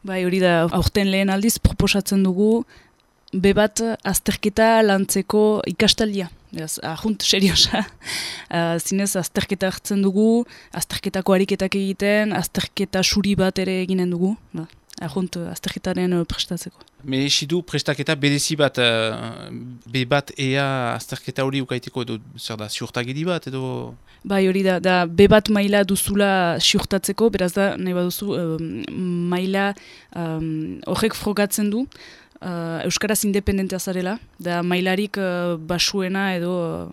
Bai, hori da, aurten lehen aldiz proposatzen dugu B1 azterketa lantzeko ikastaldia. Beraz, ahunt seriosa. Zinez, azterketa hartzen dugu, azterketako ariketak egiten, azterketa suri bat ere eginen dugu. Ahunt azterketaren prestatzeko. Merezidu prestaketa berezi bat, B1 ea azterketa hori ukaiteko edo zer da, ziurtagiri bat edo... Bai, hori da B1 maila duzula ziurtatzeko, beraz da, nahi baduzu, maila horrek frogatzen du, Euskaraz independentea zarela, da mailarik basuena edo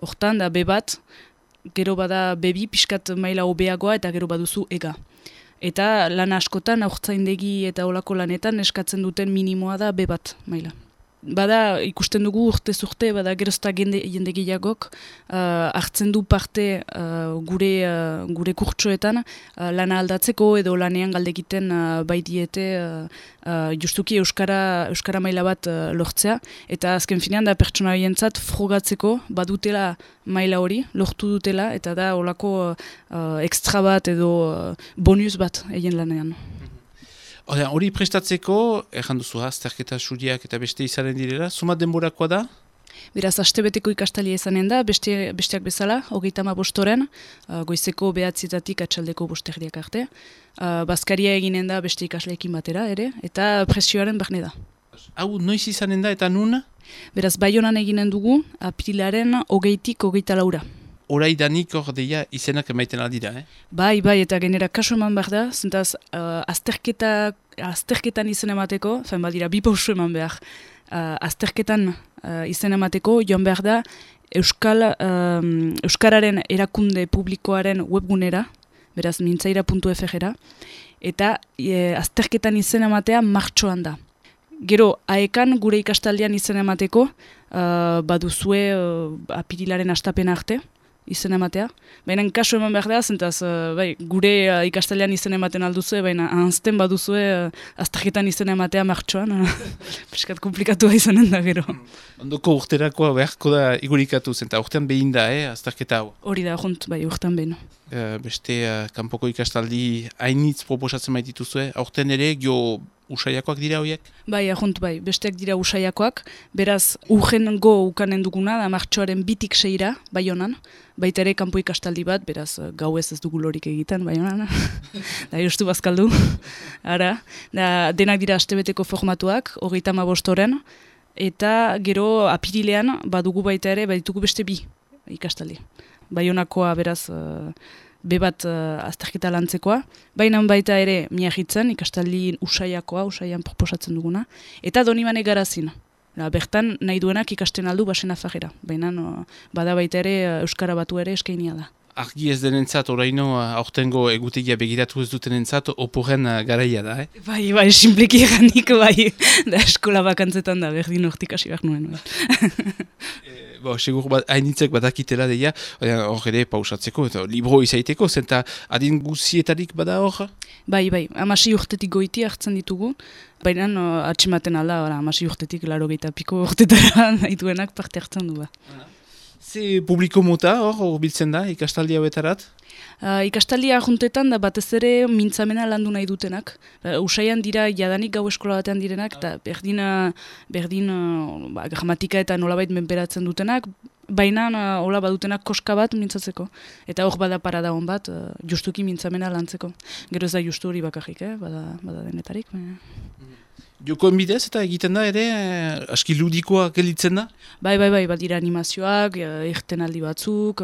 hortan da B1, gero bada B2 pixkat maila hobeagoa eta gero baduzu ega. Eta lan askotan, aurtzaindegi eta olako lanetan eskatzen duten minimoa da B1 maila. Bada ikusten dugu urtez urte, bada gerozta jende gehiagok hartzen du parte gure kurtsoetan lana aldatzeko edo lanean galdegiten bai diete justuki euskara maila bat lortzea. Eta azken finean da pertsona horientzat frogatzeko badutela maila hori, lortu dutela eta da olako extra bat edo bonus bat egin lanean. Hori prestatzeko, erran duzu azterketa suriak eta beste izanen direla, sumat denborakoa da? Beraz, astebeteko ikastalia izanen da, besteak bezala, 35 goizeko 9 atxaldeko 5 arte. Bazkaria eginen da beste ikasleekin batera ere, eta presioaren barne da. Hau, noiz izanen da eta nun? Beraz, Baionan eginen dugu, aprilaren 20-tik 24. Horai danik hor deia izenak emaiten aldira, Bai, eta genera kaso eman behar da, zentaz azterketan izen emateko, badira, bi pausu eman behar, azterketan izen emateko, joan behar da, Euskararen erakunde publikoaren webgunera, beraz mintzaira.fr-era, eta azterketan izen ematea martxoan da. Gero, aekan gure ikastaldean izen emateko, baduzue apirilaren astapena arte, izen ematea. Baina kaso eman behar da, zentaz gure ikastaldean izen ematen alduzue, baina anzten baduzue azterketan izen ematea martxoan. Piskat komplikatua izanen da gero. Ondoko urterakoa beharko da igurikatu, zenta urtean behin da, azterketa hau? Hori da, urtean behin. Beste kanpoko ikastaldi hainitz proposatzen baitituzue, aurten ere usaiakoak dira horiek? Bai, besteak dira usaiakoak, beraz urrengo ukanen duguna, da martxoaren 2-tik 6-ra, Baionan, baita ere kanpo ikastaldi bat, beraz gau ez dugu lorik egiten, Baionan, da justu bazkaldu, ara, da denak dira astebeteko formatuak, 35 eta gero apirilean badugu baita ere, baditugu beste 2 ikastaldi. Baionakoa beraz B1 azterketa lantzekoa, baina baita ere Miagitzen, ikastaldi usaian proposatzen duguna, eta Donibane Garazin. Bertan nahi duenak ikasten aldu basen afagera, baina bada baita ere Euskara Batu ere eskainia da. Argi ez denentzat, oraino aurtengo egutegia begiratu ez dutenentzat, oporen garaia da, Bai, simpliki eganik, da eskola bakantzetan da, berdin hortik hasi behar nuen. Segur hainitzek badakitela deia, hor ere pausatzeko, eta libro izaiteko, zenta adin guzietarik bada hor? Bai, 16 urtetik goiti hartzen ditugu, baina atximaten alda, 16 urtetik 80 piko urtetara nahi parte hartzen du. Ze publiko mota hor biltzen da, ikastaldi hauetarat? Ikastaldia juntetan da batez ere mintzamena landu nahi dutenak. Usaian dira jadanik gau eskola batean direnak, eta berdin gramatika eta nolabait menperatzen dutenak, baina hola badutenak koska bat mintzatzeko. Eta hor bada parada hon bat, justuki mintzamena lantzeko. Gero ez da justu hori bakarrik, bada denetarik. Jokoen bidez eta egiten da ere, aski ludikoa gelitzen da? Bai, badira animazioak, irtenaldi batzuk,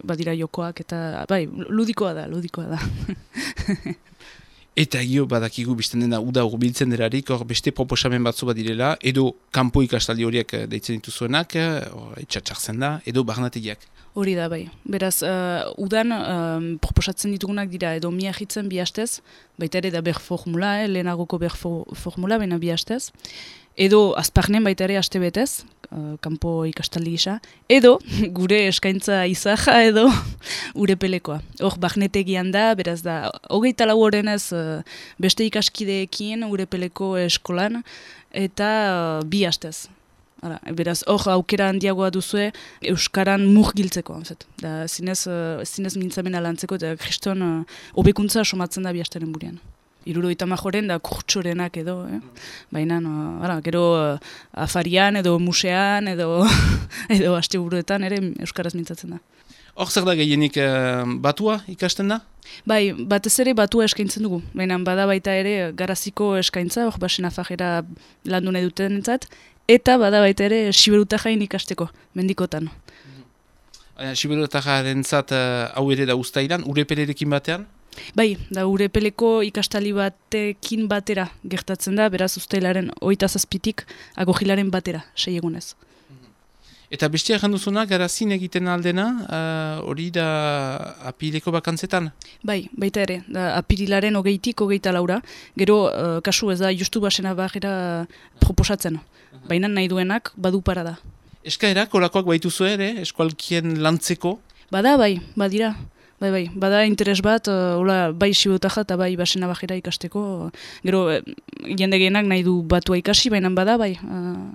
badira jokoak, eta ludikoa da. Eta badakigu bizten dena uda urbiltzen derarik, hor beste proposamen batzu badirela, edo kanpo ikastaldi horiek deitzen dituzuenak, etxatxartzen da, edo barnategiak. Hori da, bai. Beraz, udan proposatzen ditugunak dira edo Miagitzen 2 astez, baita ere da formula, lehenagoko formula, baina 2 astez, edo azparnen baita ere astebetez, kanpo ikastaldi gisa, edo gure eskaintza izaja edo urepelekoa. Hor, barnetegian da, beraz da, 24 horenez beste ikaskideekin urepeleko eskolan, eta 2 astez. Beraz, hor aukera handiagoa duzue Euskaran murgiltzeko. Zinez mintzamena lantzeko eta kriston hobekuntza somatzen da 2 asteren buruan. 70 majoren da kurtsorenak edo, baina, gero afarian edo musean edo edo asteburuetan ere euskaraz mintzatzen da. Hor zer da gehienik batua ikasten da? Bai, batez ere batua eskaintzen dugu, baina bada baita ere garaziko eskaintza, hor basen afajera landu nahi duten entzat, eta bada baita ere siberutajain ikasteko, mendikotan. Siberutajaren zat hau ere da uztailan, urepelerekin batean? Bai, da urepeleko ikastali batekin batera gertatzen da, beraz uztailaren 27tik agojilaren batera, 6 egunez. Eta bestia janduzuna, garazin egiten aldena, hori da apileko bakantzetan? Bai, baita ere, da apirilaren 20tik 24, gero kasu ez da justu basena bagera proposatzen, baina nahi duenak badu parada. Eskaerak, olakoak baituzu ere, eskualkien lantzeko? Bada, bai, badira. Bai, bada interes bat, bai siberutaja eta bai basena bajera ikasteko. Gero, jende gehienak nahi du batua ikasi, baina bada, bai,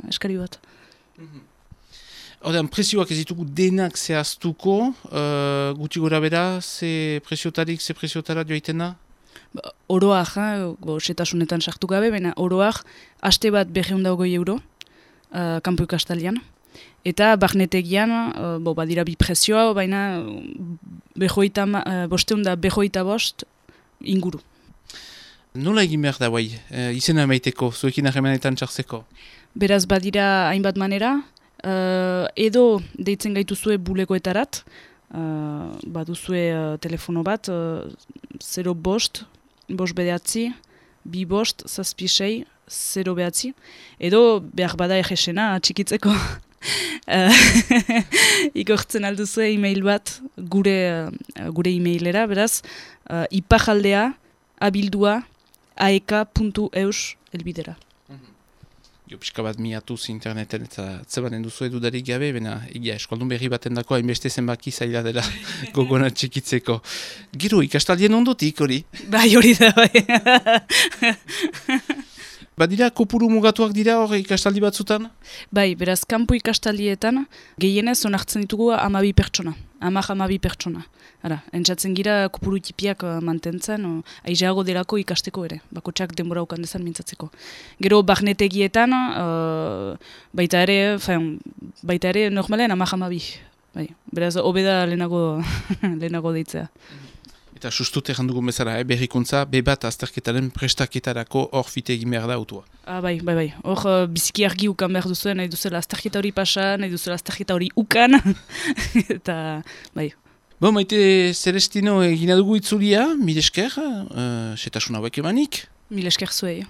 eskari bat. Horten, prezioak ez ditugu denak zehaztuko, guti gora bera, ze preziotara joaiten da? Oroak, setasunetan sartu gabe, baina oroak, aste bat 220 euro, kanpo ikastalian. Eta barnetegian, badira bi prezioa, baina 525 inguru. Nola egin behar da, bai, izena emaiteko, zuekin harremanetan txartzeko? Beraz, badira hainbat manera, edo deitzen gaituzue bulegoetarat, baduzue telefono bat, 0 bost bedatzi, 2 bost, 7 6, 0 behatzi, edo behar bada egesena txikitzeko. Ikortzen alduzue e-mail bat gure e-mailera, beraz, ipajaldea abildua aek.eus elbidera. Jo, pixka bat miatuz interneten eta zebanen duzu edudarik gabe, bena egia eskualdun berri baten dako hainbeste zenbaki zaila dela gogona txikitzeko. Gero, ikastaldien ondotik, hori? Bai, hori da, bai. Badira, kopuru mugatuak dira hor ikastaldi batzutan? Bai, beraz, kanpo ikastaldietan gehienez onartzen ditugu 12 pertsona. 12 pertsona. Ara, entzatzen gira kopuru tipiak mantentzen, aizeago delako ikasteko ere, bakotxak denbora ukan dezan mintzatzeko. Gero, barnetegietan, baita ere normalen 12. Bai, beraz, hobeda lehenago deitzea. Eta sustut errandugun bezala, berrikuntza, bebat azterketaren prestaketarako hor fite egin behar da autua. Bai. Hor biziki argi ukan behar duzuen, nahi duzela azterketa hori pasa, nahi duzela azterketa hori ukan. Eta, bai. Bo, Maite Celestino egina dugu itzulia, mil esker, setasun hauek emanik. Mil esker zuei.